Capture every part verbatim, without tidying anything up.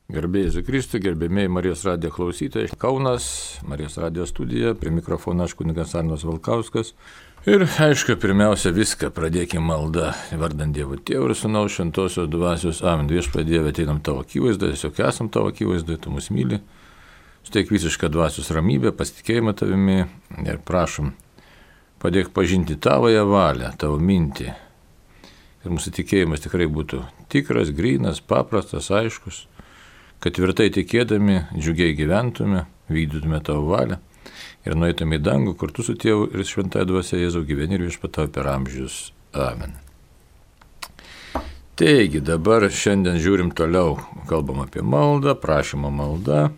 Garbėjai Jėzui Kristui, gerbėmiai Marijos radijo klausytojai. Kaunas, Marijos radijo studija, prie mikrofono aš kunigas Arnas Valkauskas. Ir aišku, pirmiausia viską pradėkime maldą, vardant Dievo Tėvų ir Sūnaus Šventosios Dvasios. Amen. Viešpatie Dieve, ateinam tavo akivaizdoje, tiesiog esam tavo akivaizdoje, tu mus myli. Suteik visišką dvasios ramybę, pasitikėjimą tavimi ir prašom, padėk pažinti tavoją valią, tavo mintį. Ir mūsų tikėjimas tikrai būtų tikras, grynas, paprastas, aiškus. Kad tvirtai tikėdami, džiugiai gyventume, vykdytume tavo valią ir nueitume į dangų kartu su Tėvu ir Šventąja Dvasia Jėzau gyveni ir viešpatauji per amžius. Amen. Taigi, dabar šiandien žiūrim toliau, kalbam apie maldą, prašymo maldą.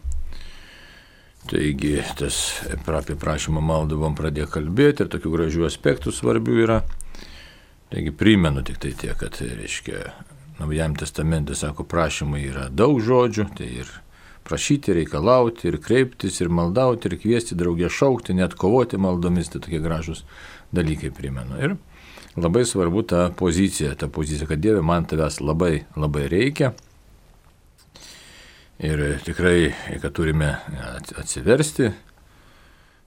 Taigi, tas apie prašymo maldą buvom pradėję kalbėti ir tokių gražių aspektų svarbių yra. Taigi, primenu tik tai tiek, kad, reiškia, Naujajam testamente, sako, prašymai yra daug žodžių, tai ir prašyti, reikalauti, ir kreiptis, ir maldauti, ir kviesti, draugė šaukti, net kovoti maldomis, tai tokie gražus dalykai primenu. Ir labai svarbu ta pozicija, ta pozicija, kad Dieve, man tavęs labai, labai reikia. Ir tikrai, kad turime atsiversti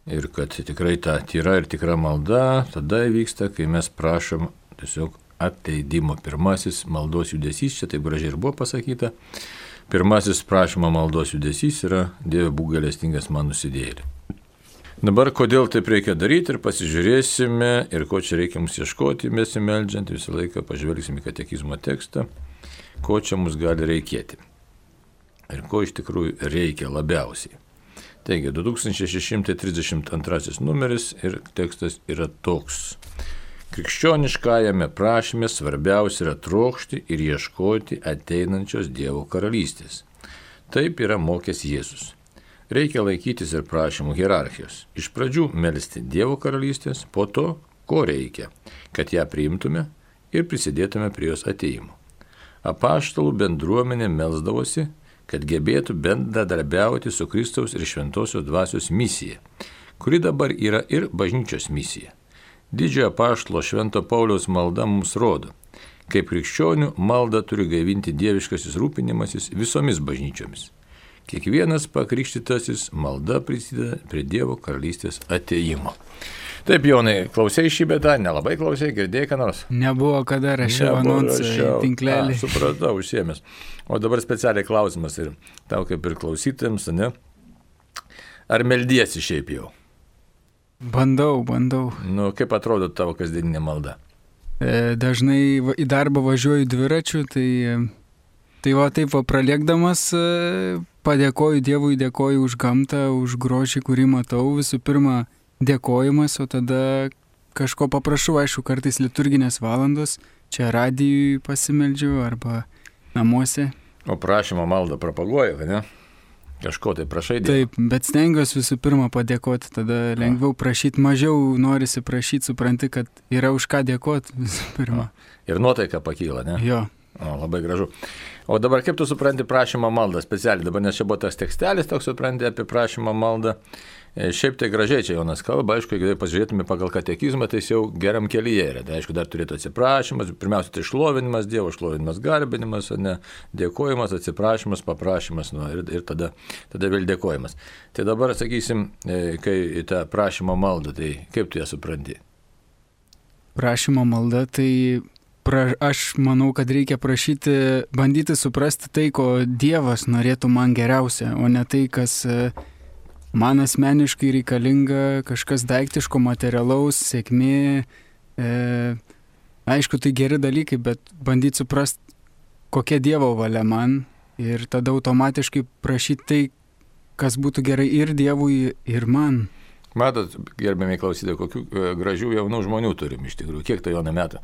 ir kad tikrai ta tyra ir tikra malda tada įvyksta, kai mes prašom tiesiog atleidimo. Pirmasis maldos judesys, čia taip gražiai ir buvo pasakyta, pirmasis prašymo maldos judesys yra Dieve būk gailestingas man nusidėjėliui. Dabar kodėl taip reikia daryti ir pasižiūrėsime ir ko čia reikia mums ieškoti, besimeldžiant, visą laiką pažvelgsime į katekizmo tekstą, ko čia mums gali reikėti ir ko iš tikrųjų reikia labiausiai. Taigi, du tūkstančiai šeši šimtai trisdešimt antrasis numeris ir tekstas yra toks. Krikščioniškajame prašyme svarbiausia yra trokšti ir ieškoti ateinančios Dievo karalystės. Taip yra mokęs Jėzus. Reikia laikytis ir prašymų hierarchijos. Iš pradžių melsti Dievo karalystės, po to, ko reikia, kad ją priimtume ir prisidėtume prie jos ateimo. Apaštalų bendruomenė melsdavosi, kad gebėtų bendradarbiauti su Kristaus ir Šventosios Dvasios misija, kuri dabar yra ir bažnyčios misija. Didžiojo apaštalo Švento Pauliaus malda mums rodo, kaip krikščionių maldą turi gaivinti dieviškasis rūpinimasis visomis bažnyčiomis. Kiekvienas pakrikštytasis malda prisideda prie Dievo karalystės atėjimo. Taip, Jonai, klausėjai šį betą, nelabai klausėjai, girdėjai ką nors? Nebuvo kada rašiau anonsą į tinklelį. A, supratau, užsiėmęs. O dabar specialiai klausimas ir tau kaip ir klausytėms, ne? Ar meldiesi šiaip jau? Bandau, bandau. Nu, kaip atrodo tavo kasdieninė malda? E, dažnai va, į darbą važiuoju dviračiu, tai, tai va taip va praliekdamas e, padėkoju Dievui, dėkoju už gamtą, už grožį, kurį matau. Visų pirma, dėkojimas, o tada kažko paprašau, aišku, kartais liturginės valandos, čia radijui pasimeldžiu arba namuose. O prašymo maldą propaguoju, ne? Kažko tai prašai Dievo. Taip, bet stengiuosi visų pirma padėkoti, tada lengviau prašyti, mažiau norisi prašyti, supranti, kad yra už ką dėkoti visų pirma. Ir nuotaika pakyla, ne? Jo. O, labai gražu. O dabar kaip tu supranti prašymo maldą specialiai? Dabar nes čia buvo tas tekstelis, toks supranti apie prašymo maldą. E, šiaip tai gražiai čia Jonas kalba, aišku, jeigu pasižiūrėtume pagal katekizmą, tai jis jau geram kelyje yra. Tai aišku, dar turėtų atsiprašymas, pirmiausia, tai šlovinimas Dievo, šlovinimas, garbinimas, ne, dėkojimas, atsiprašymas, paprašymas, nu, ir, ir tada, tada vėl dėkojimas. Tai dabar, sakysim, kai į tą prašymo maldą, tai kaip tu ją supranti? Prašymo malda, tai pra, aš manau, kad reikia prašyti, bandyti suprasti tai, ko Dievas norėtų man geriausia, o ne tai, kas man asmeniškai reikalinga, kažkas daiktiško, materialaus, sėkmė. E, aišku, tai geri dalykai, bet bandyti suprasti, kokia Dievo valia man ir tada automatiškai prašyti tai, kas būtų gerai ir Dievui, ir man. Matot, gerbėmiai klausytojai, kokių gražių jaunų žmonių turim iš tikrųjų. Kiek tai Jonai metų?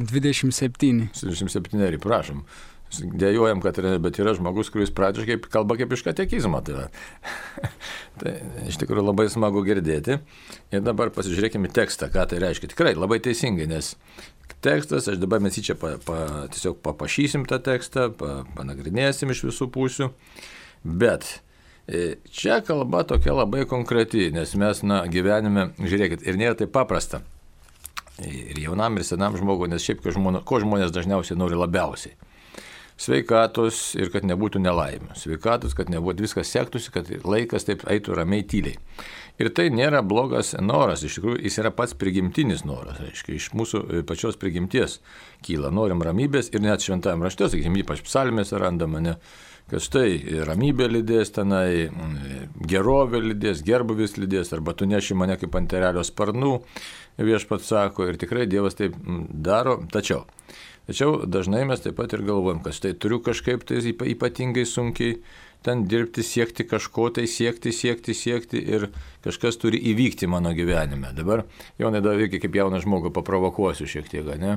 dvidešimt septyni. dvidešimt septyni, prašom. Dėjojam, kad yra, bet yra žmogus, kuris pradžiai kalba kaip iš katekizmo. Tai, tai iš tikrųjų labai smagu girdėti. Ir dabar pasižiūrėkime tekstą, ką tai reiškia. Tikrai labai teisingai, nes tekstas, aš dabar mes jį čia pa, pa, tiesiog papašysim tą tekstą, pa, panagrinėsim iš visų pusių. Bet čia kalba tokia labai konkreti, nes mes na, gyvenime, žiūrėkit, ir nėra taip paprasta. Ir jaunam, ir senam žmogui, nes šiaip ko žmonės, ko žmonės dažniausiai nori labiausiai. sveikatos ir kad nebūtų nelaimių. Sveikatos, kad nebūtų viskas sektųsi, kad laikas taip eitų ramiai tyliai. Ir tai nėra blogas noras, iš tikrųjų jis yra pats prigimtinis noras, reiškia, iš mūsų pačios prigimties kyla, norim ramybės ir net šventajame rašte, sakykime, ypač psalmėse randama, ne, kad štai ramybė lydės tenai, gerovė lydės, gerbuvis lydės, arba tu neši mane kaip ant erelio sparnų, viešpats sako, ir tikrai Dievas taip daro, tačiau. Tačiau dažnai mes taip pat ir galvojam, kad štai turiu kažkaip tai ypatingai sunkiai ten dirbti, siekti kažko, tai siekti, siekti, siekti ir kažkas turi įvykti mano gyvenime. Dabar, Jonai, dar veikia kaip jauną žmogų paprovokuosiu šiek tiek, ne?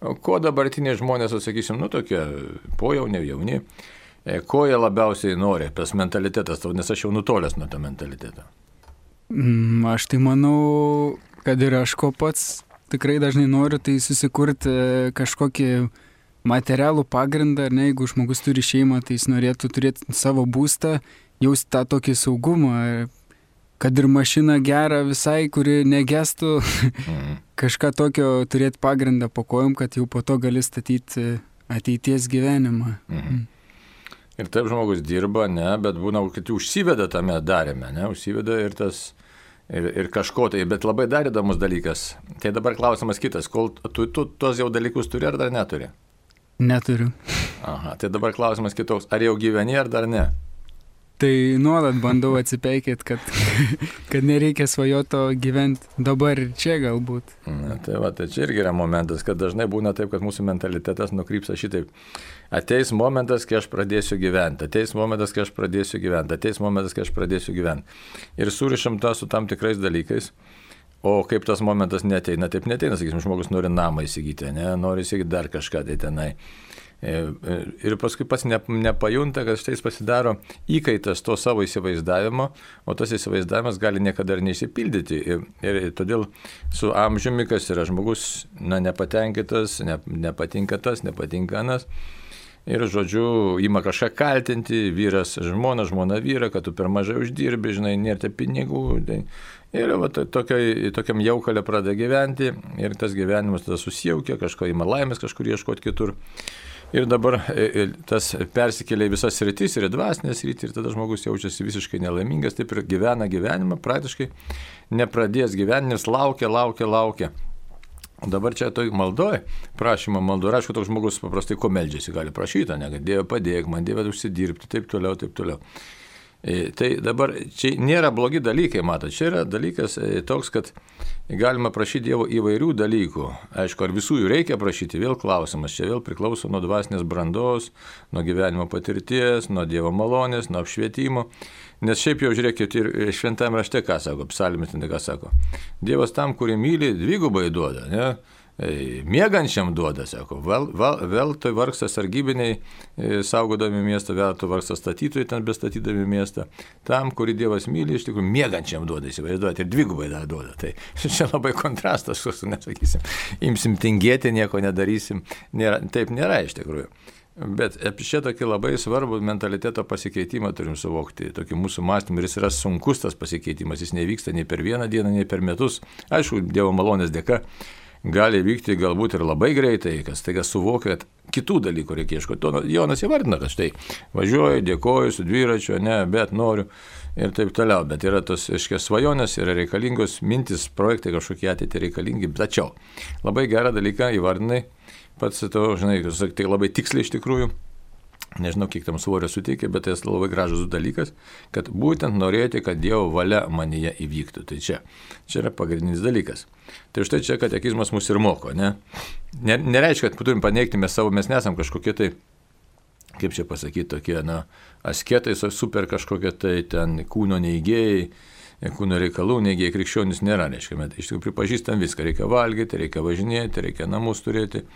O ko dabartiniai žmonės, atsakysim, nu tokie pojauni, jauni, ko jie labiausiai nori, tas mentalitetas, nes aš jau nutolęs nuo to mentaliteto. Mm, aš tai manau, kad ir aš ko pats tikrai dažnai noriu, tai susikurti kažkokį materialų pagrindą, ar ne, jeigu žmogus turi šeimą, tai jis norėtų turėti savo būstą, jausti tą tokį saugumą, kad ir mašina gera visai, kuri negestų, mm. kažką tokio turėti pagrindą po kojom, kad jau po to gali statyti ateities gyvenimą. Mm. Ir taip žmogus dirba, ne, bet būna, kad užsiveda tame darėme, ne, užsiveda ir tas Ir, ir kažko tai, bet labai dar įdomus dalykas. Tai dabar klausimas kitas, kol tu, tu tuos jau dalykus turi ar dar neturi? Neturiu. Aha, tai dabar klausimas kitoks, ar jau gyveni ar dar ne? Tai nuolat bandau atsipeikėti, kad, kad nereikia svajoto gyventi dabar ir čia galbūt. Na, tai va, tai čia irgi yra momentas, kad dažnai būna taip, kad mūsų mentalitetas nukrypsta šitaip. Ateis momentas, kai aš pradėsiu gyventi, ateis momentas, kai aš pradėsiu gyventi, ateis momentas, kai aš pradėsiu gyventi. Ir surišam tą su tam tikrais dalykais, o kaip tas momentas neteina, taip neteina, sakysim, žmogus nori namą įsigyti, ne, nori įsigyti dar kažką tai tenai. Ir paskui pats nepajunta, kad štai jis pasidaro įkaitas to savo įsivaizdavimo, o tas įsivaizdavimas gali niekada ir neišsipildyti. Ir, ir todėl su amžiumi, kas yra žmogus, na, nepatenkintas, ne, nepatinka tas, nepatinka anas. Ir, žodžiu, ima kažką kaltinti, vyras žmona, žmona vyra, kad tu per mažai uždirbi, žinai, nėra pinigų. Tai. Ir va, tokiai, tokiam jaukalė pradeda gyventi ir tas gyvenimas tada susijaukia, kažko ima laimės kažkur ieškoti kitur. Ir dabar tas persikelia į visas sritis ir į dvasinę sritį ir tada žmogus jaučiasi visiškai nelaimingas, taip ir gyvena gyvenimą, praktiškai nepradės gyvenimas, laukia, laukia, laukia. O dabar čia toj maldoj, prašymo maldoj, aišku, toks žmogus paprastai ko meldžiasi, gali prašyti, ne, kad Dieve padėk man, Dieve užsidirbti, taip toliau, taip toliau. E, tai dabar čia nėra blogi dalykai, matot, čia yra dalykas e, toks, kad galima prašyti Dievo įvairių dalykų. Aišku, ar visų jų reikia prašyti, vėl klausimas, čia vėl priklauso nuo dvasinės brandos, nuo gyvenimo patirties, nuo Dievo malonės, nuo apšvietimo. Nes šiaip jau žiūrėkit ir šventame rašte, ką sako, psalmis, ką sako. Dievas tam, kurį myli, dvigubai duoda, ne? Miegančiam duoda, sako, vėl, vėl, vėl tai vargsta sargybiniai, saugodami miestą, vėl tai vargsta statytojai ten bestatydami miestą. Tam, kurį Dievas myli, iš tikrųjų miegančiam duoda, įsivaizduoti, ir dvigubai dar duoda. Tai čia labai kontrastas, nesakysim, imsim tingėti, nieko nedarysim. Nėra, taip nėra iš tikrųjų. Bet čia tokį labai svarbų mentaliteto pasikeitimą turim suvokti, tokį mūsų mąstymą, ir jis yra sunkus tas pasikeitimas, jis nevyksta nei per vieną dieną, nei per metus. Aišku, Dievo malonės dėka gali vykti galbūt ir labai greitai, kas taiga suvokia, kad kitų dalykų reikia ieškoti. Jonas įvardina, kad štai važiuoju, dėkoju su dviračiu, ne, bet noriu ir taip toliau. Bet yra tos, aiškiai, svajonės, yra reikalingos mintis, projektai kažkokie ateitį reikalingi. Tačiau labai gerą dalyką įvardinai, pats to, žinai, tai labai tiksliai iš tikrųjų, nežinau, kiek tam svorio suteikia, bet tai labai gražus dalykas, kad būtent norėti, kad Dievo valia manyje įvyktų. Tai čia, čia yra pagrindinis dalykas. Tai štai čia katekizmas mus ir moko, ne? Nereiškia, kad turim paneigti mes savo, mes nesam kažkokie tai, kaip čia pasakyti, tokie, na, asketai, super kažkokie tai ten kūno neigėjai, kūno reikalų neigėjai, krikščionis nėra, reiškia, mes iš tikrųjų pripažįstam viską, reikia valgyti, reikia važinėti, reikia namus turėti,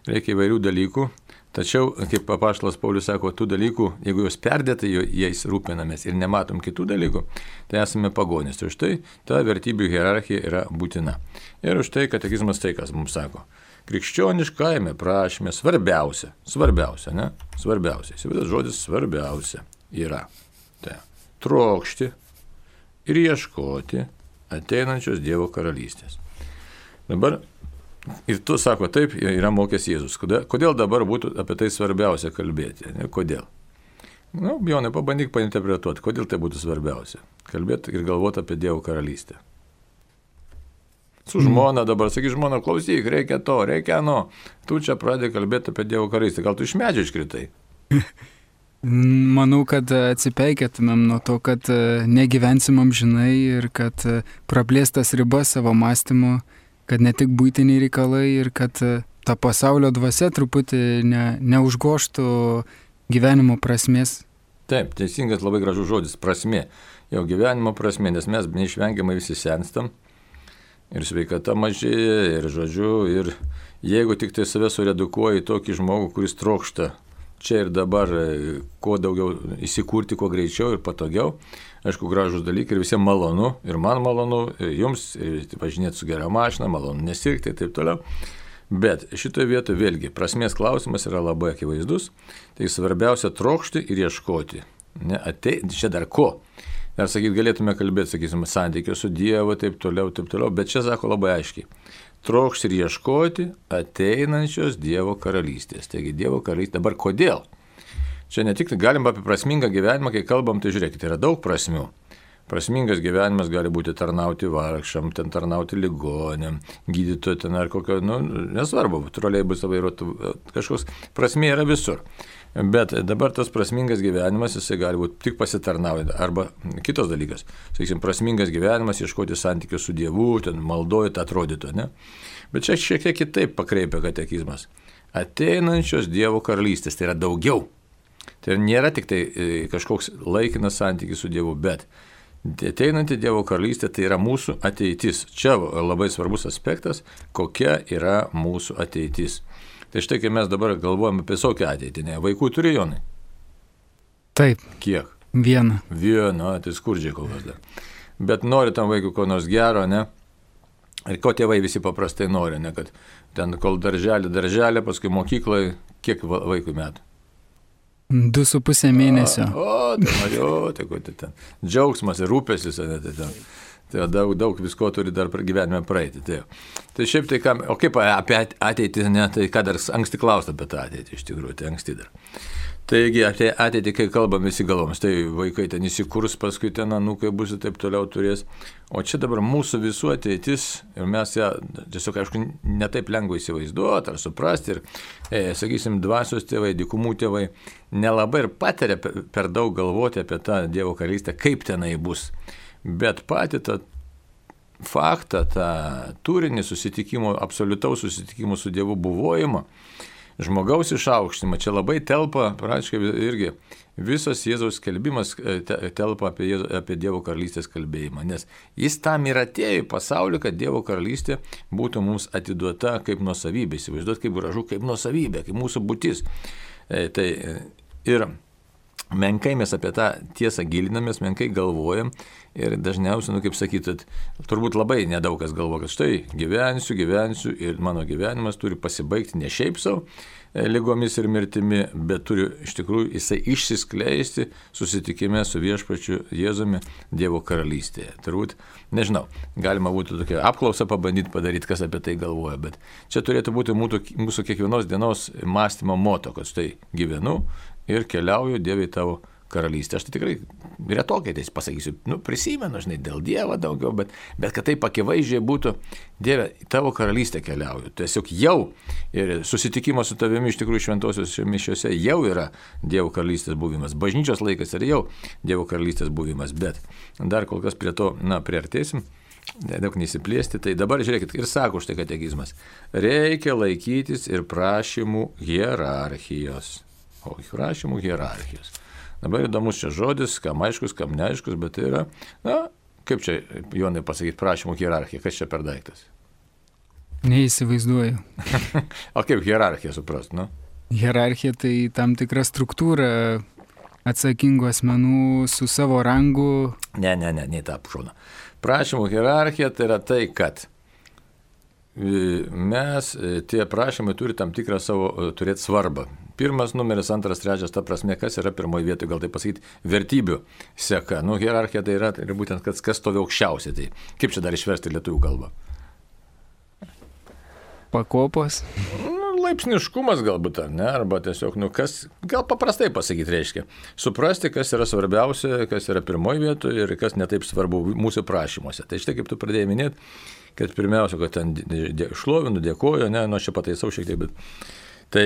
reikia įvairių dalykų. Tačiau, kaip apaštalas Paulius sako, tų dalykų, jeigu jos perdėtai jais rūpinamės ir nematom kitų dalykų, tai esame pagonys. Ir štai ta vertybių hierarchija yra būtina. Ir už tai katekizmas tai, kas mums sako. Krikščioniškajame prašyme svarbiausia, svarbiausia, ne? Svarbiausia, įsivaizduojat, žodis svarbiausia yra tai trokšti ir ieškoti ateinančios Dievo karalystės. Dabar Ir tu sako, taip, yra mokęs Jėzus. Kodėl, kodėl dabar būtų apie tai svarbiausia kalbėti? Ne? Kodėl? Nu, Jonai, pabandyk painterpretuoti, kodėl tai būtų svarbiausia. Kalbėti ir galvoti apie Dievo karalystę. Su žmona dabar, sakyk, žmona, klausyk, reikia to, reikia ano. Tu čia pradėjai kalbėti apie Dievo karalystę. Gal tu iš medžio iškritai? Manau, kad atsipeikėtumėm nuo to, kad negyvensim amžinai ir kad praplėstas ribas savo mąstymu, kad ne tik būtiniai reikalai ir kad ta pasaulio dvasia truputį ne, neužgoštų gyvenimo prasmės. Taip, teisingas labai gražus žodis, prasmė. Jau gyvenimo prasmė, nes mes neišvengiamai visi senstam ir sveikata mažėja ir žodžiu, ir jeigu tik tai save suredukuoji tokį žmogų, kuris trokšta čia ir dabar kuo daugiau įsikurti, kuo greičiau ir patogiau, aišku, gražus dalykai ir visiems malonu, ir man malonu, ir jums, ir važinėti su gera mašina, malonu nesirgti ir taip toliau. Bet šitoje vietoje vėlgi prasmės klausimas yra labai akivaizdus, tai svarbiausia trokšti ir ieškoti. Ne, atei, čia dar ko? Dar sakyt, galėtume kalbėti, sakysim, santykio su Dievu, taip toliau, taip toliau, bet čia sako labai aiškiai. Trokšti ir ieškoti ateinančios Dievo karalystės. Taigi Dievo karalystė. Dabar kodėl? Čia ne tik galim apie prasmingą gyvenimą, kai kalbam, tai žiūrėkite, yra daug prasmių. Prasmingas gyvenimas gali būti tarnauti vargšam, ten tarnauti ligonėm, gydytojui ten ar kokio, nu, nesvarbu, troleibusą vairuotų, kažkoks prasmė yra visur. Bet dabar tas prasmingas gyvenimas, jisai gali būti tik pasitarnaujant. Arba kitos dalykas, sakysim, prasmingas gyvenimas, ieškoti santykių su Dievu, ten maldojant atrodytų, ne? Bet čia šiek tiek kitaip pakreipia katekizmas. Ateinančios Dievo karalystės, tai yra daugiau. Tai nėra tik tai kažkoks laikinas santykis su Dievu, bet ateinanti Dievo karalystė tai yra mūsų ateitis. Čia labai svarbus aspektas, kokia yra mūsų ateitis. Tai štai, kai mes dabar galvojame apie visokią ateitį, ne? Vaikų turi, Jonai? Taip. Kiek? Vieną. Vieną, tai skurdžiai kol kas dar. Bet nori tam vaikui ko nors gero, ne? Ir ko tėvai visi paprastai nori, ne? Kad ten kol darželį, darželį, paskui mokyklai, kiek vaikui metų? Du su pusė mėnesio. O, o tai mažiau, tai ko tai ten. Džiaugsmas ir rūpestis, ne, tai ten. Tai daug, daug visko turi dar gyvenime praeiti. Tai, tai šiaip tai, ką, o kaip apie ateitį, ne, tai ką dar anksti klausti apie tą ateitį, iš tikrųjų, tai anksti dar. Taigi apie ateitį, kai kalbam visi galvomis, tai vaikai ten įsikurs, paskui ten anūkai bus ir taip toliau turės. O čia dabar mūsų visų ateitis ir mes ją tiesiog, aišku, netaip lengva įsivaizduoti ar suprasti. Ir, e, sakysim, dvasios tėvai, dykumų tėvai nelabai ir patiria per, per daug galvoti apie tą Dievo karalystę, kaip tenai bus. Bet patį tą faktą, tą turinį susitikimo, absoliutaus susitikimo su Dievu buvojimą, žmogaus išaukštimą, čia labai telpa, praktiškai irgi visas Jėzaus skelbimas telpa apie, Jėzų, apie Dievo karalystės kalbėjimą, nes jis tam ir atėjo į pasaulį, kad Dievo karalystė būtų mums atiduota kaip nuosavybė, įsivaizduot kaip gražu, kaip nuosavybė, kaip mūsų būtis. E, tai, ir menkai mes apie tą tiesą gilinamės, menkai galvojam ir dažniausiai, nu kaip sakyt, turbūt labai nedaug kas galvo, kad štai gyvensiu, gyvensiu ir mano gyvenimas turi pasibaigti ne šiaip savo lygomis ir mirtimi, bet turi iš tikrųjų jisai išsiskleisti susitikime su viešpačiu Jėzumi Dievo karalystėje. Turbūt, nežinau, galima būtų tokią apklausą pabandyti padaryti, kas apie tai galvoja, bet čia turėtų būti mūsų, mūsų kiekvienos dienos mąstymo moto, kad štai gyvenu ir keliauju Dieve į tavo karalystę. Aš tai tikrai retokai tai pasakysiu, nu, prisimenu, žinai, dėl Dievo daugiau, bet, bet kad taip akivaizdžiai būtų, Dieve, į tavo karalystę keliauju. Tiesiog jau ir susitikimas su tavimi iš tikrųjų šventosios mišiose jau yra Dievo karalystės buvimas. Bažnyčios laikas yra jau Dievo karalystės buvimas, bet dar kol kas prie to, na, priartėsim. Daug nesiplėsti, tai dabar žiūrėkit, ir sako štai katekizmas, reikia laikytis ir prašymų hierarchijos. O prašymų hierarchijos. Dabar įdomus čia žodis, kam aiškus, kam neaiškus, bet tai yra, na, kaip čia, Jonai, pasakyti, prašymų hierarchija, kas čia per daiktas? Neįsivaizduoju. O kaip hierarchija suprast, nu? Hierarchija tai tam tikra struktūra atsakingų asmenų su savo rangu. Ne, ne, ne, ne tą apšauna. Prašymų hierarchija tai yra tai, kad mes, tie prašymai turi tam tikrą savo turėti svarbą. Pirmas numeris, antras, trečias, ta prasme, kas yra pirmoji vietoje, gal tai pasakyti, vertybių seka. Nu, hierarchija tai yra, tai yra būtent, kas, kas stovi aukščiausiai. Tai kaip čia dar išversti lietuvių kalbą? pakopos. Laipsniškumas galbūt, ar ne, arba tiesiog, nu, kas, gal paprastai pasakyti reiškia, suprasti, kas yra svarbiausia, kas yra pirmoji vietoje ir kas netaip svarbu mūsų prašymuose. Tai štai kaip tu pradėjai minėti, kad pirmiausia, kad ten šlovinu, dėkoju, ne, nu aš čia pataisau šiek tiek, bet tai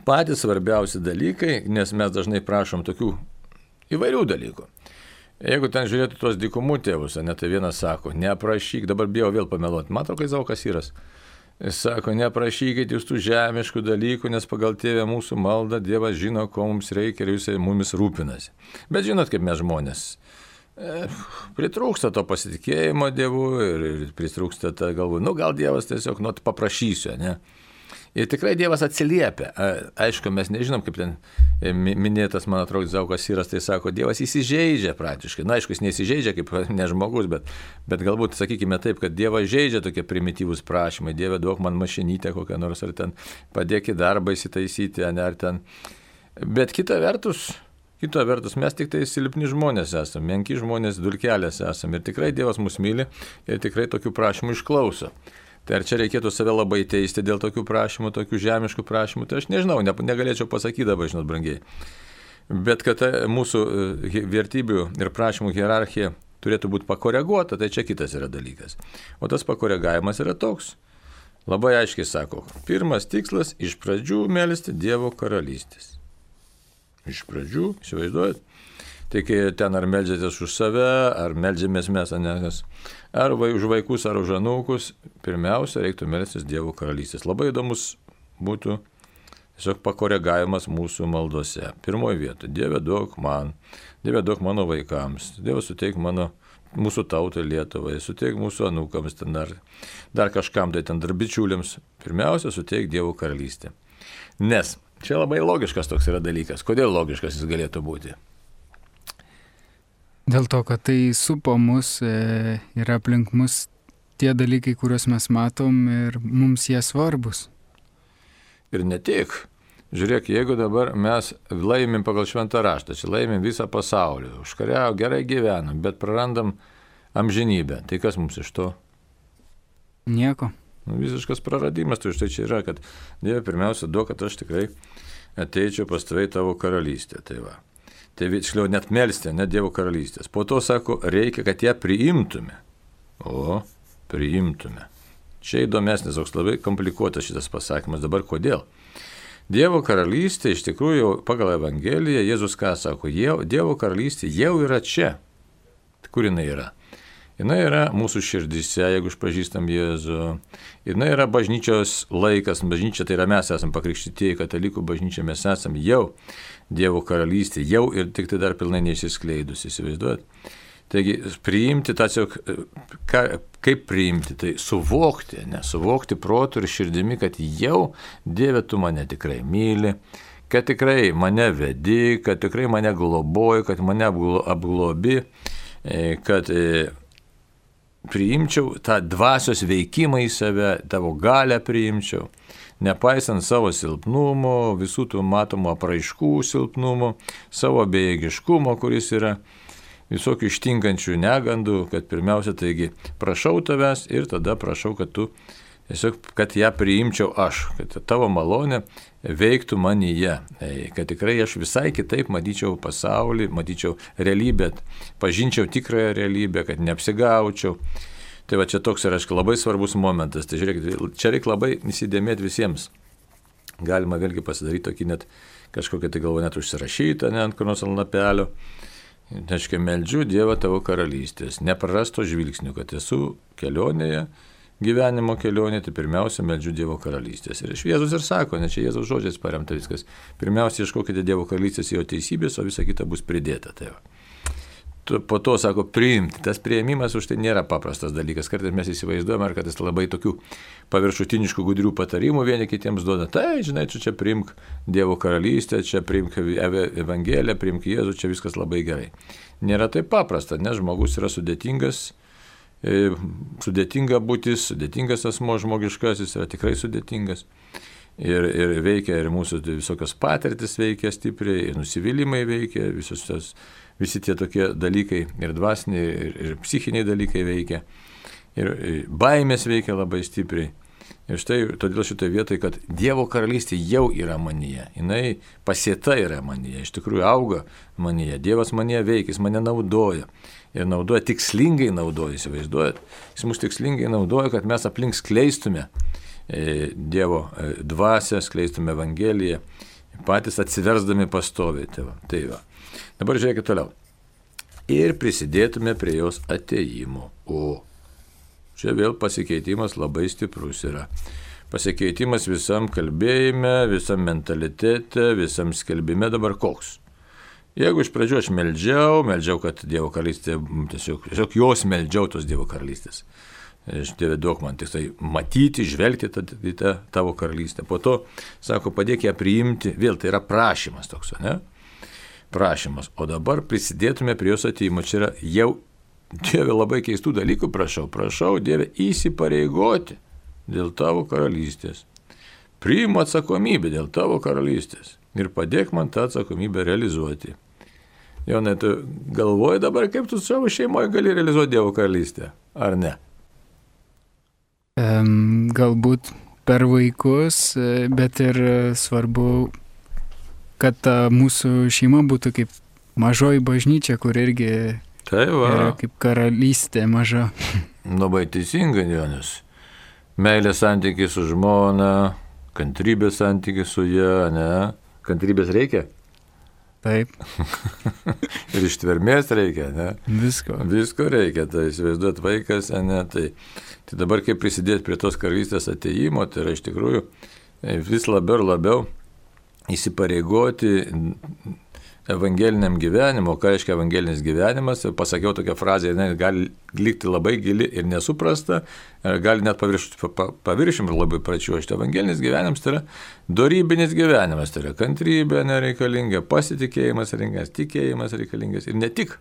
patys svarbiausi dalykai, nes mes dažnai prašom tokių įvairių dalykų. Jeigu ten žiūrėtų tos dykumų tėvus, ne, tai vienas sako, neprašyk, dabar bijau vėl pameluoti, matau, kai Zaukas Yras. Jis sako, neprašykit jūs tų žemiškų dalykų, nes pagal tėvę mūsų maldą Dievas žino, ko mums reikia ir jisai mumis rūpinasi. Bet žinot, kaip mes žmonės, e, pritrūksta to pasitikėjimo Dievu ir, ir pritrūksta tą galvą, nu gal Dievas tiesiog, nu, paprašysiu, ne? Ir tikrai Dievas atsiliepia. Aišku, mes nežinom, kaip ten minėtas, man atrodo, Zaukas Yras, tai sako, Dievas įsižeidžia praktiškai. Na, aišku, jis neįsižeidžia kaip ne žmogus, bet, bet galbūt, sakykime taip, kad Dievas žeidžia tokie primityvūs prašymai. Dieve, duok man mašinytę kokią nors, ar ten padėk į darbą įsitaisyti, ar ten. Bet kita vertus, kita vertus, mes tik tai silpni žmonės esame, menki žmonės, dulkelės esame. Ir tikrai Dievas mus myli ir tikrai tokių prašymų išklauso. Tai ar čia reikėtų save labai teisti dėl tokių prašymų, tokių žemiškų prašymų, tai aš nežinau, ne, negalėčiau pasakyti dabar, žinot, brangiai. Bet kad mūsų vertybių ir prašymų hierarchija turėtų būti pakoreguota, tai čia kitas yra dalykas. O tas pakoregavimas yra toks. Labai aiškiai sako, pirmas tikslas iš pradžių melsti Dievo karalystės. Iš pradžių, įsivaizduojat? Tai kai ten ar meldžiatės už save, ar meldžiamės mes, anekas, ar vai, už vaikus, ar už anūkus, pirmiausia, reiktų melstis Dievo karalystės. Labai įdomus būtų tiesiog pakoregavimas mūsų maldose. Pirmoji vieta, Dieve duok man, Dieve duok mano vaikams, Dieve suteik mano, mūsų tautai Lietuvai, suteik mūsų anūkams, ten dar, dar kažkam, tai ten dar bičiuliams. Pirmiausia, suteik Dievo karalystę. Nes čia labai logiškas toks yra dalykas. Kodėl logiškas jis galėtų būti? Dėl to, kad tai supo mus e, ir aplink mus tie dalykai, kuriuos mes matom ir mums jie svarbus. Ir ne tik. Žiūrėk, jeigu dabar mes laimim pagal šventą raštą, čia laimim visą pasaulį, užkariau, gerai gyvenam, bet prarandam amžinybę, tai kas mums iš to? Nieko. Nu, visiškas praradimas, tai štai čia yra, kad Dieve pirmiausia duok, kad aš tikrai ateičiau pas tave į tavo karalystę. Tai va. Tai tiksliau net melsti, net Dievo karalystės. Po to sako, reikia, kad ją priimtume. O, priimtume. Čia įdomesnis, toks labai komplikuotas šitas pasakymas. Dabar kodėl? Dievo karalystė, iš tikrųjų, pagal Evangeliją, Jėzus ką sako, Dievo karalystė jau yra čia. Kur jinai yra? Jinai yra mūsų širdise, jeigu išpažįstam Jėzų. Jinai yra bažnyčios laikas, bažnyčia tai yra mes esame pakrikštytieji, katalikų bažnyčia mes esame jau Dievo karalystė, jau ir tik tai dar pilnai neišsiskleidus, įsivaizduojat. Taigi priimti tą tiesiog, kaip priimti, tai suvokti, ne, suvokti protu ir širdimi, kad jau Dieve tu mane tikrai myli, kad tikrai mane vedi, kad tikrai mane globoji, kad mane apglobi, kad priimčiau tą dvasios veikimą į save, tavo galią priimčiau, nepaisant savo silpnumo, visų tų matomų apraiškų silpnumo, savo bejėgiškumo, kuris yra visokių ištinkančių negandų, kad pirmiausia, taigi, prašau tavęs ir tada prašau, kad tu, tiesiog, kad ją priimčiau aš, kad tavo malonė veiktų manyje, kad tikrai aš visai kitaip matyčiau pasaulį, matyčiau realybę, pažinčiau tikrąją realybę, kad neapsigaučiau. Tai va čia toks yra, aišku, labai svarbus momentas. Tai žiūrėkit, čia reikia labai įsidėmėti visiems. Galima vėlgi pasidaryti tokį net kažkokią tai galvo net užsirašytą, ne ant kur nors ant lapelio. Neškia, meldžiu Dievą tavo karalystės, neprarasto žvilgsnių, kad esu kelionėje, gyvenimo kelionė, tai pirmiausia meldžiu Dievo karalystės. Ir Jėzus ir sako, ne čia Jėzaus žodžiais paremta viskas, pirmiausia ieškokite Dievo karalystės jo teisybės, o visa kita bus pridėta. Tai va. Po to, sako, priimti. Tas priėmimas už tai nėra paprastas dalykas. Kartais mes įsivaizduojame, ar kartais labai tokių paviršutiniškų gudrių patarimų vieni kitiems duoda. Tai, žinai, čia, čia priimk Dievo karalystę, čia priimk Evangeliją, priimk Jėzų, čia viskas labai gerai. Nėra taip paprasta, nes žmogus yra sudėtingas, sudėtinga būtis, sudėtingas asmo žmogiškasis, yra tikrai sudėtingas. Ir, ir veikia, ir mūsų visokios patirtis veikia stipriai, ir nusivylimai veikia, visos tos, visi tie tokie dalykai, ir dvasiniai, ir, ir psichiniai dalykai veikia, ir baimės veikia labai stipriai. Ir štai todėl šitoje vietoje, kad Dievo karalystė jau yra manyje, jinai pasėta yra manyje, iš tikrųjų auga manyje, Dievas manyje veikia, jis mane naudoja. Ir naudoja, tikslingai naudoja, įsivaizduojat. Jis mus tikslingai naudoja, kad mes aplink skleistume Dievo dvasią, skleistume Evangeliją, patys atsiversdami pastoviai. Tai va, tai va. Dabar žiūrėkit toliau. Ir prisidėtume prie jos atėjimo. O čia vėl pasikeitimas labai stiprus yra. Pasikeitimas visam kalbėjime, visam mentalitete, visam skelbime dabar koks. Jeigu iš pradžių aš meldžiau, meldžiau, kad Dievo karalystė, tiesiog, tiesiog jos meldžiau tos Dievo karalystės. Aš Dieve duok man tik tai matyti, žvelgti į tą tavo karalystę. Po to, sako, padėk ją priimti, vėl tai yra prašymas toks, ne? Prašymas. O dabar prisidėtume prie jos atėjimo. Čia yra jau, Dieve, labai keistų dalykų prašau. Prašau, Dieve, įsipareigoti dėl tavo karalystės. Priimu atsakomybę dėl tavo karalystės. Ir padėk man tą atsakomybę realizuoti. Jonai, tu galvoji dabar, kaip tu savo šeimoje gali realizuoti Dievo karalystę, ar ne? Um, galbūt per vaikus, bet ir svarbu, kad ta mūsų šeima būtų kaip mažoji bažnyčia, kur irgi tai va. Yra kaip karalystė maža. Labai teisingai, Jonas. Meilės santykiai su žmona, kantrybės santykiai su ja, ne? Kantrybės reikia? Taip. Ir ištvermės reikia, ne? Visko. Visko reikia, tai įsivaizduot vaikas, ne? Tai, tai dabar kaip prisidėti prie tos karalystės atėjimo, tai yra iš tikrųjų vis labiau ir labiau įsipareigoti evangeliniam gyvenimo. Ką reiškia evangelinis gyvenimas? Pasakiau tokią frazę, jinai gali likti labai gili ir nesuprasta, gali net paviršim ir labai pračiuošti. Evangelinis gyvenimas tai yra dorybinis gyvenimas, tai yra kantrybė nereikalinga, pasitikėjimas reikalingas, tikėjimas reikalingas ir ne tik.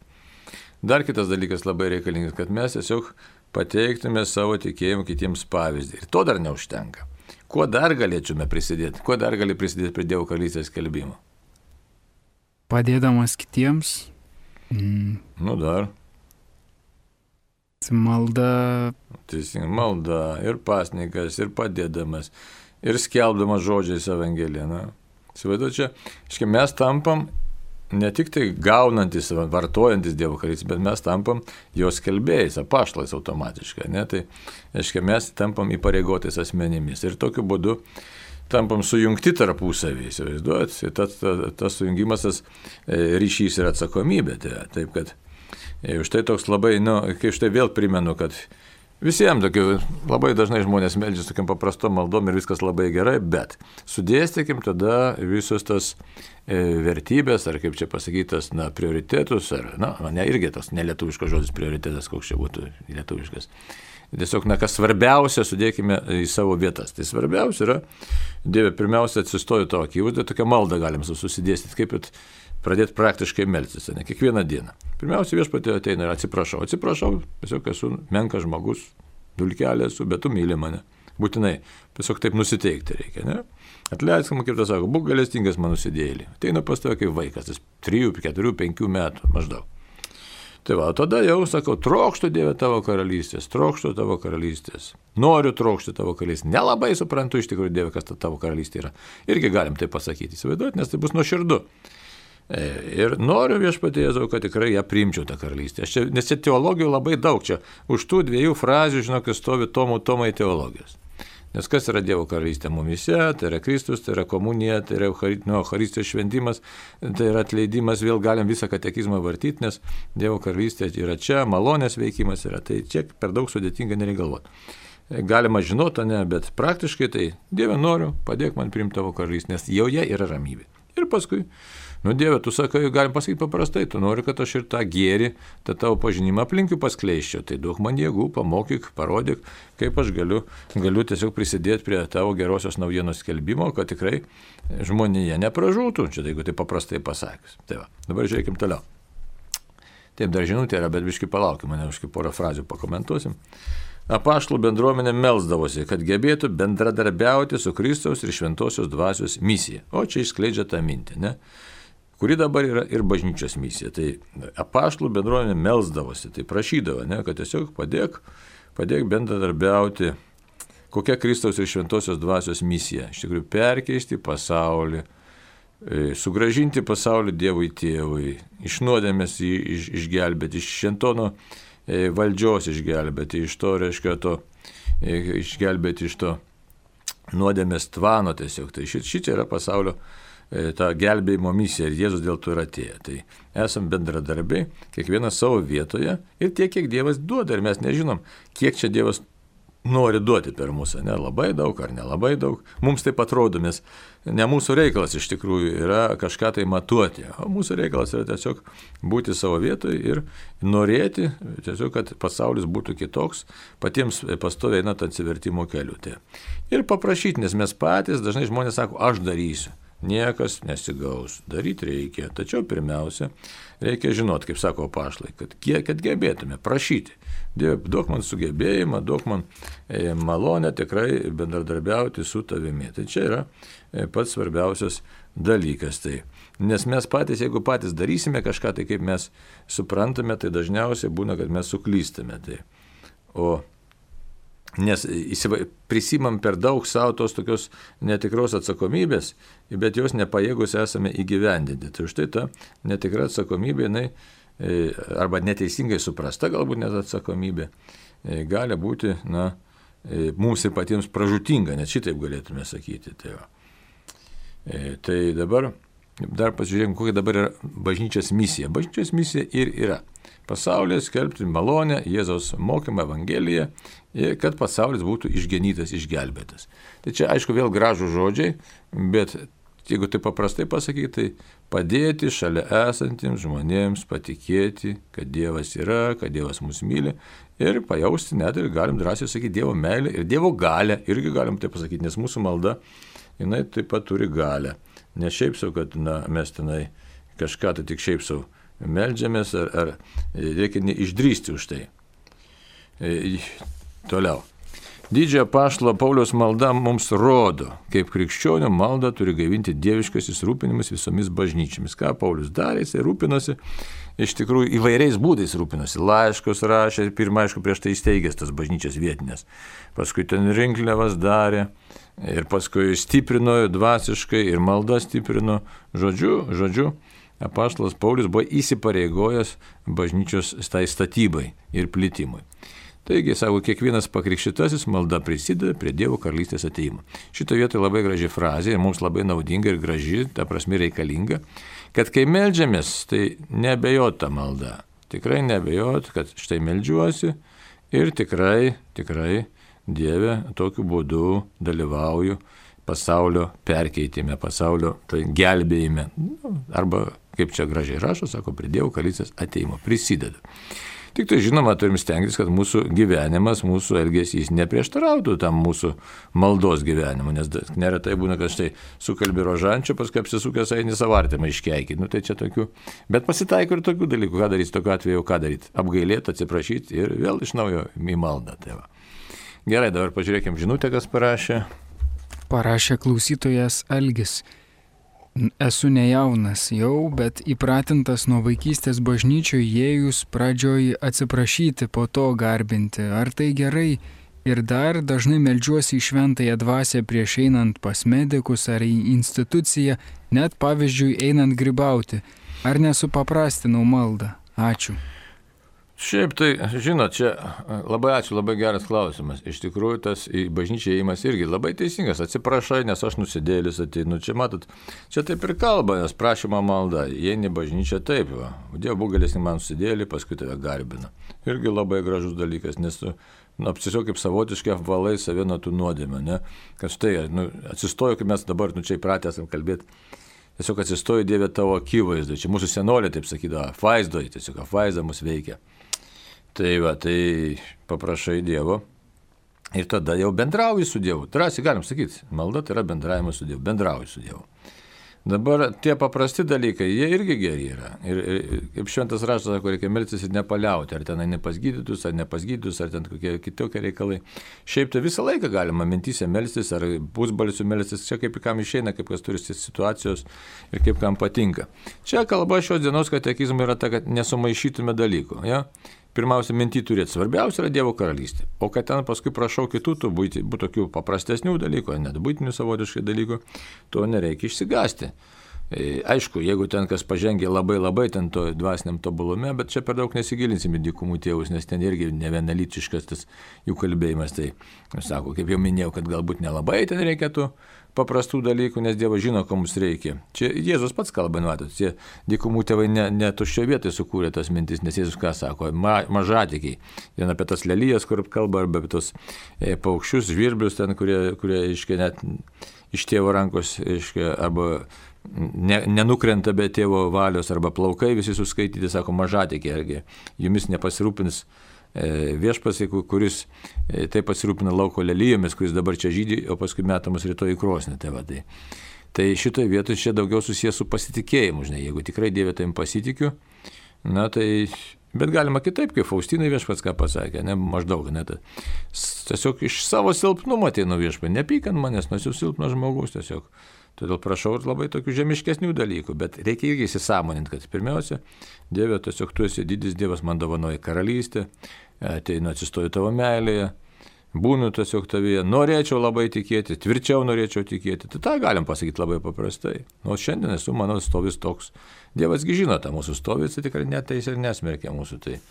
Dar kitas dalykas labai reikalingas, kad mes tiesiog pateiktume savo tikėjimą kitiems pavyzdį. Ir to dar neužtenka. Kuo dar galėtume prisidėti? Kuo dar gali prisidėti prie Dievo karalystės skelbimo? Padėdamas kitiems. Mm. Nu dar. Malda. Teisingai, malda ir pasninkas, ir padėdamas, ir skelbdamas žodžiais Evangeliją. Įsivaizduoju, čia, iškai mes tampam ne tik tai gaunantis, vartojantis Dievo karalystę, bet mes tampam jos skelbėjais, apaštalais automatiškai. Ne? Tai, iškai, mes tampam įpareigotais asmenimis. Ir tokiu būdu tampam sujungti tarpusavį, įsivaizduojat, tas, tas, tas sujungimas, tas ryšys ir atsakomybė. Tai, taip, kad už tai toks labai, nu, kai už tai vėl primenu, kad visiems tokiu, labai dažnai žmonės meldžiasi tokiam paprastom maldom ir viskas labai gerai, bet sudėstykim tada visus tas e, vertybės, ar kaip čia pasakytas, na, prioritetus, ar, na, ne irgi tas nelietuviškas žodis prioritetas, koks čia būtų lietuviškas. Tiesiog, na, kas svarbiausia, sudėkime į savo vietas. Tai svarbiausia yra, Dieve, pirmiausia, atsistoju tavo akivaizdoje, tokią maldą galim susidėstyti, kaip ir pradėti praktiškai melstis, ne kiekvieną dieną. Pirmiausia, viešpatie ateina ir atsiprašau, atsiprašau, tiesiog esu menkas žmogus, dulkelė esu, bet tu myli mane. Būtinai, tiesiog taip nusiteikti reikia, ne? Atleisk, kaip tas sako, būk gailestingas mano nusidėjėlį. Ateina pas tave kaip vaikas, tas trijų, keturių, penkių metų maždaug. Tai va, tada jau sakau, trokštu Dieve tavo karalystės, trokštu tavo karalystės, noriu trokšti tavo karalystės, nelabai suprantu iš tikrųjų Dieve, kas ta tavo karalystė yra. Irgi galim tai pasakyti, įsivaizduoti, nes tai bus nuoširdu. Ir noriu viešpatie Jėzau, kad tikrai ją priimčiau tą karalystę. Čia, nes čia teologijų labai daug, čia už tų dviejų frazių, žinok, stovi tomų tomai teologijos. Nes kas yra Dievo karalystė mumise, tai yra Kristus, tai yra komunija, tai yra Eucharistijos šventimas, tai yra atleidimas, vėl galim visą katekizmą vartyti, nes Dievo karalystė yra čia, malonės veikimas yra, tai čia per daug sudėtinga nereikia galvoti. Galima žinoti, ne, bet praktiškai tai Dieve noriu, padėk man priimti tavo karalystę, nes joje yra ramybė. Ir paskui, nu Dieve, tu sakai, galim pasakyti paprastai, tu nori, kad aš ir tą gėrį, tą tavo pažinimą aplinkiu paskleiščiau, tai duok man jėgų, pamokyk, parodyk, kaip aš galiu, galiu tiesiog prisidėti prie tavo gerosios naujienos skelbimo, kad tikrai žmonėje nepražūtų, čia jeigu tai paprastai pasakius. Tai va, dabar žiūrėkim toliau. Taip, dar žinutė yra, bet biškai palaukim, mane biškai porą frazių pakomentuosim. Apaštalų bendruomenė melsdavosi, kad gebėtų bendradarbiauti su Kristaus ir Šventosios dvasios misija. O čia išskleidžia tą mintį, ne? Kuri dabar yra ir bažnyčios misija. Tai apaštalų bendruomenė melsdavosi, tai prašydavo, ne? Kad tiesiog padėk, padėk bendradarbiauti kokia Kristaus ir šventosios dvasios misija. Iš tikrųjų, perkeisti pasaulį, sugražinti pasaulį Dievui Tėvui, iš nuodėmės jį iš, išgelbėti, iš šentono valdžios išgelbėti, iš to, reiškia, to, išgelbėti iš to nuodėmės tvano tiesiog. Tai šičia yra pasaulio ta gelbėjimo misija ir Jėzus dėl to yra atėję. Tai esam bendradarbiai, kiekvienas savo vietoje ir tiek, kiek Dievas duoda ir mes nežinom, kiek čia Dievas nori duoti per mūsų, ne labai daug ar nelabai daug. Mums taip atrodo, nes ne mūsų reikalas iš tikrųjų yra kažką tai matuoti, o mūsų reikalas yra tiesiog būti savo vietoje ir norėti, tiesiog, kad pasaulis būtų kitoks, patiems pastoviai einant atsivertimo keliu. Tai. Ir paprašyti, nes mes patys, dažnai žmonės sako, aš darysiu. Niekas nesigaus, daryti reikia, tačiau pirmiausia, reikia žinoti, kaip sako apaštalai, kad kiek, kad gebėtume prašyti. Dieve, duok man sugebėjimą, duok man e, malonę tikrai bendradarbiauti su tavimi. Tai čia yra e, pats svarbiausias dalykas. Tai. Nes mes patys, jeigu patys darysime kažką, tai kaip mes suprantame, tai dažniausiai būna, kad mes suklystame. Tai. O Nes prisimam per daug savo tos tokios netikros atsakomybės, bet jos nepajėgus esame įgyvendinti. Tai štai ta netikra atsakomybė, jinai, arba neteisingai suprasta galbūt net atsakomybė, gali būti, na, mums ir patiems pražūtinga, net šitaip galėtume sakyti. Tai, va. Tai dabar dar pasižiūrėkime, kokia dabar yra bažnyčios misija. Bažnyčios misija ir yra pasaulyje skelbti malonę, Jėzaus mokymą, Evangeliją, kad pasaulis būtų išgenytas, išgelbėtas. Tai čia, aišku, vėl gražų žodžiai, bet jeigu tai paprastai pasakyti, tai padėti šalia esantiems žmonėms patikėti, kad Dievas yra, kad Dievas mus myli ir pajausti net ir galim drąsiai sakyti Dievo meilę ir Dievo galę, irgi galim tai pasakyti, nes mūsų malda, jinai taip pat turi galę. Ne šiaip sau, kad na, mes tenai kažką tai tik šiaip sau meldžiamės, ar, ar reikia neišdrįsti už tai. E, toliau. Didžiojo apaštalo Pauliaus malda mums rodo, kaip krikščionių malda turi gaivinti dieviškasis rūpinimas visomis bažnyčiomis. Ką Paulius darė, jis rūpinosi, iš tikrųjų įvairiais būdais rūpinosi. Laiškus rašė, pirmą, aišku, prieš tai įsteigęs tas bažnyčias vietinės. Paskui ten rinkliavas darė ir paskui stiprino dvasiškai ir malda stiprino. Žodžiu, žodžiu, apaštalas Paulius buvo įsipareigojęs bažnyčios tai statybai ir plitimui. Taigi, sako, kiekvienas pakrikštytasis malda prisideda prie Dievo karalystės ateimo. Šito vietoje labai graži frazė, mums labai naudinga ir graži, ta prasme reikalinga, kad kai meldžiamės, tai nebejot tą maldą. Tikrai nebejot, kad štai meldžiuosi ir tikrai, tikrai Dieve tokiu būdu dalyvauju pasaulio perkeitime, pasaulio tai gelbėjime. Arba, kaip čia gražiai rašo, sako, prie Dievo karalystės ateimo prisideda. Tik tai žinoma, turim stengtis, kad mūsų gyvenimas, mūsų elgesys neprieštarautų tam mūsų maldos gyvenimu, nes neretai būna, kad štai sukalbi rožančio, paskui apsisukęs eini savo artimą iškeikį. Nu, tai čia tokių, bet pasitaiko ir tokių dalykų, ką daryti tokiu atveju, ką daryti. Apgailėti, atsiprašyti ir vėl iš naujo į maldą. Tai va. Gerai, dabar pažiūrėkime žinutę, kas parašė. Parašė klausytojas Algis. Esu nejaunas jau, bet įpratintas nuo vaikystės bažnyčioje įėjus pradžioj atsiprašyti, po to garbinti. Ar tai gerai? Ir dar dažnai meldžiuosi į šventąją dvasią prieš einant pas medikus ar į instituciją, net pavyzdžiui einant grybauti. Ar nesupaprastinau maldą? Ačiū. Šiaip tai, žinot, čia labai ačiū, labai geras klausimas. Iš tikrųjų, tas į bažnyčią įėjimas irgi labai teisingas. Atsiprašai, nes aš nusidėlis ateinu. Čia matot, čia taip ir kalba, nes prašymo malda. Įeini bažnyčią taip, va. Dievo būgalis man nusidėlį, paskui tave garbina. Irgi labai gražus dalykas, nes tu nu, tiesiog kaip savotiškai apvalai save nuo tų nuodėmių, ne? Kad štai, nu, atsistoju, kaip mes dabar, nu, čia įpratę esam kalbėti. Tiesiog atsistoju Dieve tavo akivaizdai. Čia mūsų senolė taip sakydavo, apvaizdoji, tiesiog apvaizda mus veikia. Tai va, tai paprašai Dievo ir tada jau bendrauji su Dievu. Drąsiai galim sakyti, malda tai yra bendravimas su Dievu, bendrauji su Dievu. Dabar tie paprasti dalykai, jie irgi geri yra. Ir, ir kaip šventas raštas sako, reikia melstis ir nepaliauti, ar ten ne pas gydytus, ar ne pas gydytus, ar ten kokie kitokie reikalai. Šiaip tai visą laiką galima mintyse melstis, ar pusbalsiu melstis, čia kaip kam išeina, kaip kas turi situacijos ir kaip kam patinka. Čia kalba šios dienos katekizmo yra ta, kad nesumaišytume dalykų. Ja? pirmiausia mintį turėti, svarbiausia yra Dievo karalystė. O kad ten paskui prašau kitų, tų būti, būtų tokių paprastesnių dalykų, net būtinių savotiškai dalykų, to nereikia išsigąsti. Aišku, jeigu ten kas pažengė labai labai ten to dvasiniam tobulume, bet čia per daug nesigilinsim į dykumų tėvus, nes ten irgi nevienalytiškas tas jų kalbėjimas. Tai, sako, kaip jau minėjau, kad galbūt nelabai ten reikėtų paprastų dalykų, nes Dievas žino, ko mums reikia. Čia Jėzus pats kalba, matot, tie dykumų tėvai ne, ne tuščio vietai sukūrė tas mintis, nes Jėzus ką sako, ma, mažatikiai. Vien apie tas lelijas, kur kalba, arba apie tos e, paukščius, žvirblius ten, kurie, kurie iškia net iš tėvo rankos, iškia, arba ne, nenukrenta be tėvo valios, arba plaukai visi suskaityti, sako, mažatikiai, argi jumis nepasirūpins viešpats, kuris taip pasirūpina lauko lelijomis, kuris dabar čia žydi, o paskui metamas rytoj į krosnį. Tai, va, tai. tai šitoje vietoje čia daugiau susijęs su pasitikėjimu, žinai, jeigu tikrai Dieve tavim pasitikiu, na tai, bet galima kitaip, kaip Faustinai viešpats ką pasakė, ne, maždaug, ne, tai, tiesiog iš savo silpnumo ateinu viešpats, nepykant manęs, nes jau silpnas žmogus tiesiog. Todėl prašau labai tokių žemiškesnių dalykų, bet reikia irgi įsisamoninti, kad pirmiausia, Dieve, tiesiog tu esi didis Dievas, man dovanoja karalystę, ateinu atsistoju tavo meilėje, būnu tiesiog tavyje, norėčiau labai tikėti, tvirčiau norėčiau tikėti, tai tą galim pasakyti labai paprastai. O šiandien esu mano stovis toks. Dievasgi žino tą mūsų stovį, tai tikrai neteis ir nesmerkia mūsų. Tai,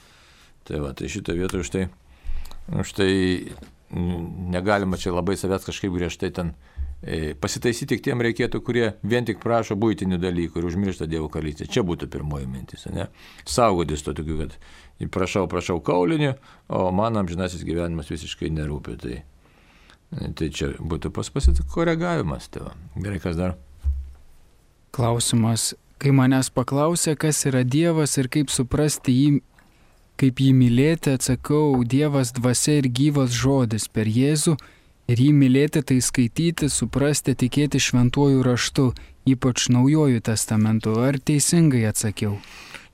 tai, va, tai šitą vietą už tai, už tai negalima čia labai savęs kažkaip griežtai ten pasitaisyti tik tiem reikėtų, kurie vien tik prašo buitinių dalykų ir užmiršta Dievo karalystę. Čia būtų pirmoji mintis, ne? Saugodis to tokiu, kad prašau, prašau kaulinių, o man amžinasis gyvenimas visiškai nerūpi. Tai, tai čia būtų pas pasikoregavimas. Tai gerai, kas dar? Klausimas. Kai manęs paklausė, kas yra Dievas ir kaip suprasti jį, kaip jį mylėti, atsakau, Dievas dvasia ir gyvas žodis per Jėzų. Ir jį mylėti tai skaityti, suprasti, tikėti šventuoju raštu, ypač naujojų testamentu. Ar teisingai atsakiau?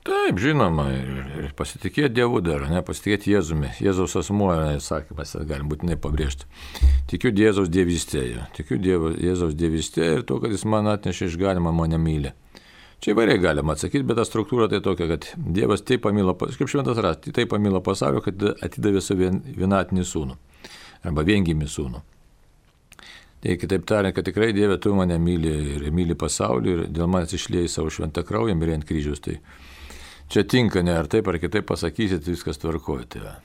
Taip, žinoma, ir, ir pasitikėti Dievu dar, ne, pasitikėti Jėzumi. Jėzaus asmuo, sakymas, galim būtinai pabrėžti. Tikiu Jėzaus dievystėje, tikiu Dievo, Jėzaus dievystėje ir to, kad jis man atnešė išganimą, mane myli. Čia įvairiai galima atsakyti, bet ta struktūra tai tokia, kad Dievas taip pamilo, kaip šventas rastas, taip pamilo pasaulio, kad atidavė savo vienatinį sūnų. Arba viengimį sūnų. Tai kitaip tariant, kad tikrai Dieve, tu mane myli ir myli pasaulį ir dėl manęs išliejai savo šventą kraują, mirė ant kryžiaus. Tai čia tinka, ne ar taip, ar kitaip pasakysit, viskas tvarkoja. Tai.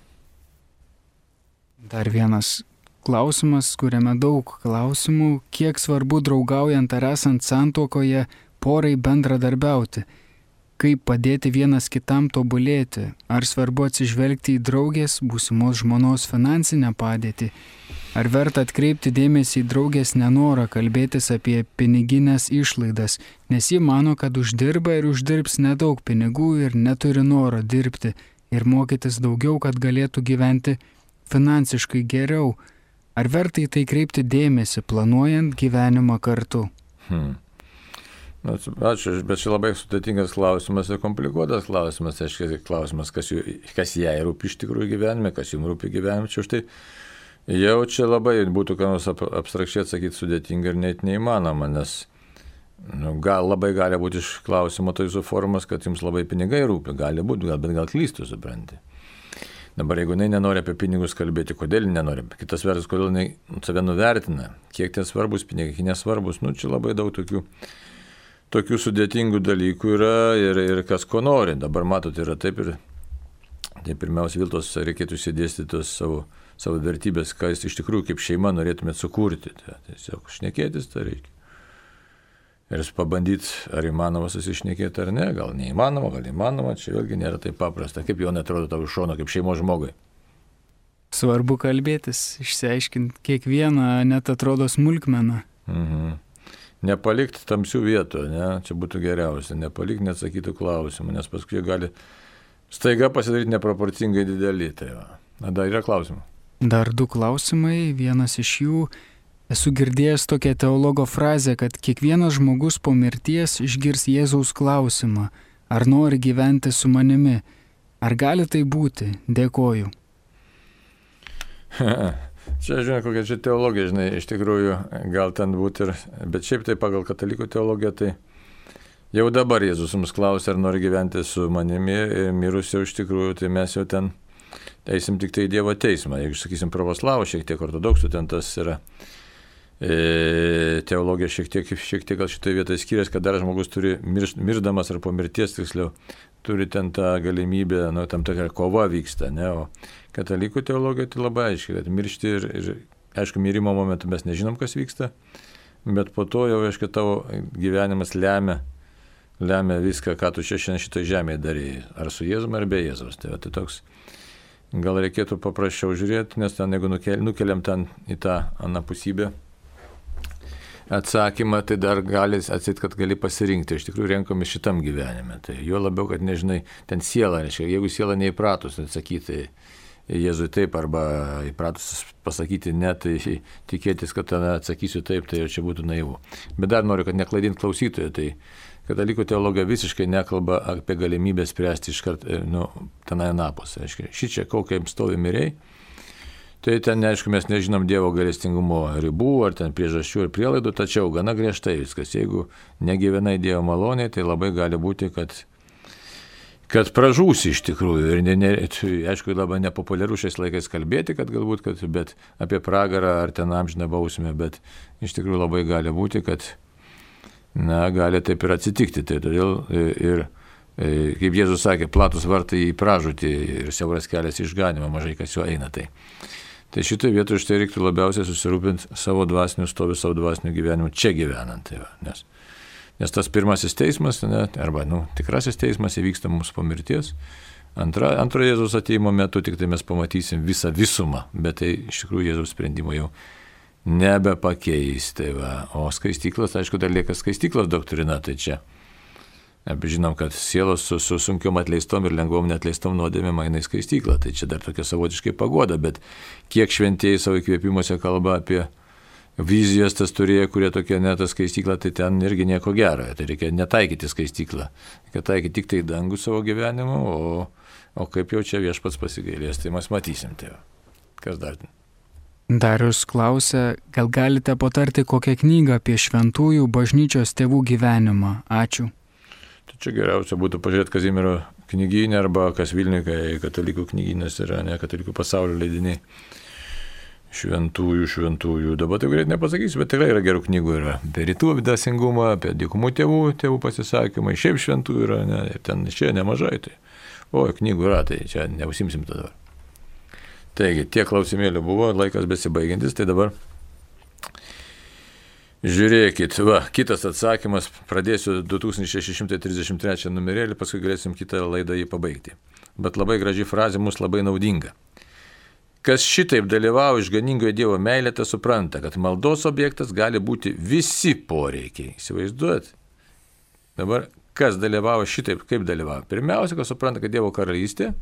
Dar vienas klausimas, kuriame daug klausimų, kiek svarbu draugaujant ar esant santuokoje porai bendradarbiauti. Kaip padėti vienas kitam tobulėti? Ar svarbu atsižvelgti į draugės, būsimos žmonos finansinę padėtį? Ar verta atkreipti dėmesį į draugės nenorą kalbėtis apie piniginės išlaidas, nes ji mano, kad uždirba ir uždirbs nedaug pinigų ir neturi noro dirbti ir mokytis daugiau, kad galėtų gyventi finansiškai geriau? Ar verta į tai kreipti dėmesį, planuojant gyvenimą kartu? Hmm. Ačiū, bet čia labai sudėtingas klausimas ir komplikuotas klausimas. Aiškiai klausimas, kas, jų, kas jai rūpi iš tikrųjų gyvenime, kas jums rūpi gyvenime. Čia už tai jau čia labai būtų ką nors abstrakčiai atsakyti sudėtinga ir net neįmanoma, nes nu, gal, labai gali būti iš klausimo tai jūsų formas, kad jums labai pinigai rūpi. Gali būti, gal, bet gal klystų, supranti. Dabar jeigu jinai nenori apie pinigus kalbėti, kodėl nenori? Kitas vertus, kodėl jinai save nuvertina, kiek ten svarbus pinigai, kiek nesvarbus. Nu, čia labai daug tokių Tokių sudėtingų dalykų yra ir, ir kas ko nori. Dabar matot, yra taip ir tai pirmiausia Viltos reikėtų įsidėstyti savo, savo vertybės, ką jūs iš tikrųjų kaip šeima norėtumėt sukurti. Tai, tiesiog šnekėtis tai reikia. Ir pabandyti, ar įmanoma susišnekėti ar ne, gal neįmanoma, gal įmanoma, čia vėlgi nėra taip paprasta. Kaip jau netrodo tavo iš šono, kaip šeimos žmogui. Svarbu kalbėtis, išsiaiškinti kiekvieną, net atrodo smulkmeną. Mhm. Nepalikti tamsių vietų, ne? Čia būtų geriausia, nepalikti neatsakytų klausimų, nes paskui gali staiga pasidaryti neproporcingai didelį. Tai va. Na, dar yra klausimų. Dar du klausimai, vienas iš jų, esu girdėjęs tokią teologo frazę, kad kiekvienas žmogus po mirties išgirs Jėzaus klausimą, ar nori gyventi su manimi, ar gali tai būti, dėkoju. Čia, žinai, kokia čia teologija, žinai, iš tikrųjų gal ten būti ir, bet šiaip tai pagal katalikų teologiją, tai jau dabar Jėzus mums klausia, ar nori gyventi su manimi ir mirus jau iš tikrųjų, tai mes jau ten eisim tik tai į Dievo teismą. Jeigu, sakysim, pravoslavų, šiek tiek ortodoksų, ten tas yra e, teologija šiek tiek, šiek tiek gal šitoje vietoje skiriasi, kad dar žmogus turi mirš, mirždamas ar po mirties, tiksliau, turi ten tą galimybę, nu, tam tokia kova vyksta, ne, o katalikų teologija tai labai aiškiai, kad miršti ir, ir aišku, mirimo momentu mes nežinom, kas vyksta, bet po to jau, aišku, tavo gyvenimas lemia, lemia viską, ką tu šiandien šitoje žemėje darėjai, ar su Jėzum, ar be Jėzaus. Tai, tai toks, gal reikėtų paprasčiau žiūrėti, nes ten, jeigu nukeliam ten į tą anapusybę atsakymą, tai dar gali atseit, kad gali pasirinkti. Iš tikrųjų renkomis šitam gyvenime. Tai jo labiau, kad nežinai, ten siela, reiškia, jeigu siela neįpratus atsakyti Jėzui taip arba įpratus pasakyti ne, tai tikėtis, kad ten atsakysiu taip, tai jau čia būtų naivu. Bet dar noriu, kad neklaidint klausytojų, tai katalikų teologija visiškai nekalba apie galimybę spręsti iškart, nu, tenai anapus. Šičia, kokiam stovi miriai, tai ten, aišku, mes nežinom Dievo gailestingumo ribų, ar ten priežasčių ir prielaidų, tačiau gana griežtai viskas. Jeigu negyvenai Dievo maloniai, tai labai gali būti, kad kad pražūsi iš tikrųjų. Ir ne, ne, aišku, labai nepopuliaru šiais laikais kalbėti, kad galbūt, kad, bet apie pragarą ar ten amžiną bausmę, bet iš tikrųjų labai gali būti, kad, na, gali taip ir atsitikti. Tai todėl ir, kaip Jėzus sakė, platus vartai į pražūtį ir siauras kelias į išganimą, mažai kas jo eina. Tai, tai šitoje vietoje štai reiktų labiausiai susirūpinti savo dvasiniu stoviu, savo dvasiniu gyvenimu čia gyvenant. Tai va, nes Nes tas pirmasis teismas, ne, arba nu, tikrasis teismas įvyksta mums po mirties. Antra, antro Jėzaus ateimo metu tik tai mes pamatysim visą visumą, bet tai iš tikrųjų Jėzaus sprendimo jau nebepakeis. Tai va. O skaistyklas, aišku, dar lieka skaistyklos doktrina, tai čia. Žinom, kad sielos su, su sunkiom atleistom ir lengvom neatleistom nuodėmėm eina į skaistyklą. Tai čia dar tokia savotiškai pagoda, bet kiek šventieji savo įkvėpimuose kalba apie vizijas tas turėjo, kurie tokie netas skaistykla, tai ten irgi nieko gero. Tai reikia netaikyti skaistyklą. Reikia taikyti tik tai dangų savo gyvenimu, o, o kaip jau čia viešpats pasigailės, tai mes matysim. Tai kas dar? Darius klausia, gal galite patarti kokią knygą apie šventųjų bažnyčios tėvų gyvenimą? Ačiū. Tai čia geriausia būtų pažiūrėti Kazimiero knyginę arba kas Vilniuje, kai katalikų knyginės yra, ne katalikų pasaulio leidiniai. Šventųjų, šventųjų. Dabar tai greit nepasakysiu, bet tikrai yra gerų knygų. Yra apie rytų dvasingumą, apie dykumų tėvų, tėvų pasisakymai, šiaip šventųjų yra, ne, ir ten čia nemažai. Tai. O, knygų yra, tai čia neusimsim tada. Taigi, tiek klausimėlių buvo, laikas besibaigiantis, tai dabar žiūrėkit, va, kitas atsakymas, pradėsiu du tūkstančiai šeši šimtai trisdešimt trečią numerėlį, paskui galėsim kitą laidą jį pabaigti. Bet labai graži frazė, mums labai naudinga. Kas šitaip dalyvauja išganingoje Dievo meilė, tas supranta, kad maldos objektas gali būti visi poreikiai. Įsivaizduojat? Dabar, kas dalyvauja šitaip, kaip dalyvauja? Pirmiausia, kas supranta, kad Dievo karalystė,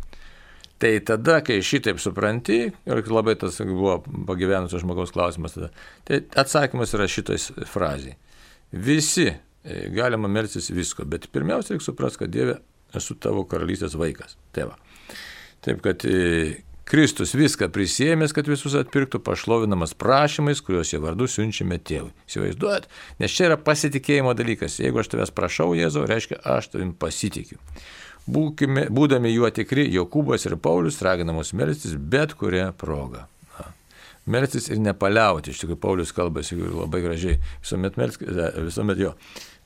tai tada, kai šitaip supranti, ir labai tas buvo pagyvenusio žmogaus klausimas tada, tai atsakymas yra šitais frazėje. Visi galima melstis visko, bet pirmiausia, reikia suprasti, kad Dieve esu tavo karalystės vaikas. Tai va. Taip, kad Kristus viską prisiėmęs, kad visus atpirktų, pašlovinamas prašymais, kuriuos jo vardu siunčiame tėvui. Įsivaizduojat? Nes čia yra pasitikėjimo dalykas. Jeigu aš tavęs prašau, Jėzau, reiškia, aš tavim pasitikiu. Būkime, būdami juo tikri, Jokūbas ir Paulius raginamos melstis bet kurią progą. Melstis ir nepaliauti. Iš tikrųjų, Paulius kalbasi labai gražiai. Visuomet, melskite, visuomet jo.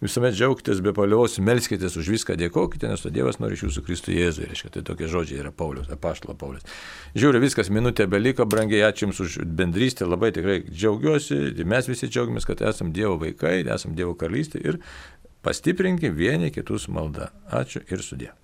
Visuomet džiaugitės be paliaus, melskitės už viską, dėkokite, nes to Dievas nori iš jūsų Kristų Jėzui. Reiškia, tai tokie žodžiai yra Paulius, apaštalo Paulius. Žiūriu, viskas, minutė beliko, brangiai, ačiū Jums už bendrystę, labai tikrai džiaugiuosi, mes visi džiaugiamės, kad esam Dievo vaikai, esam Dievo karalystė ir pastiprinkim vieni kitus maldą. Ačiū ir sudie.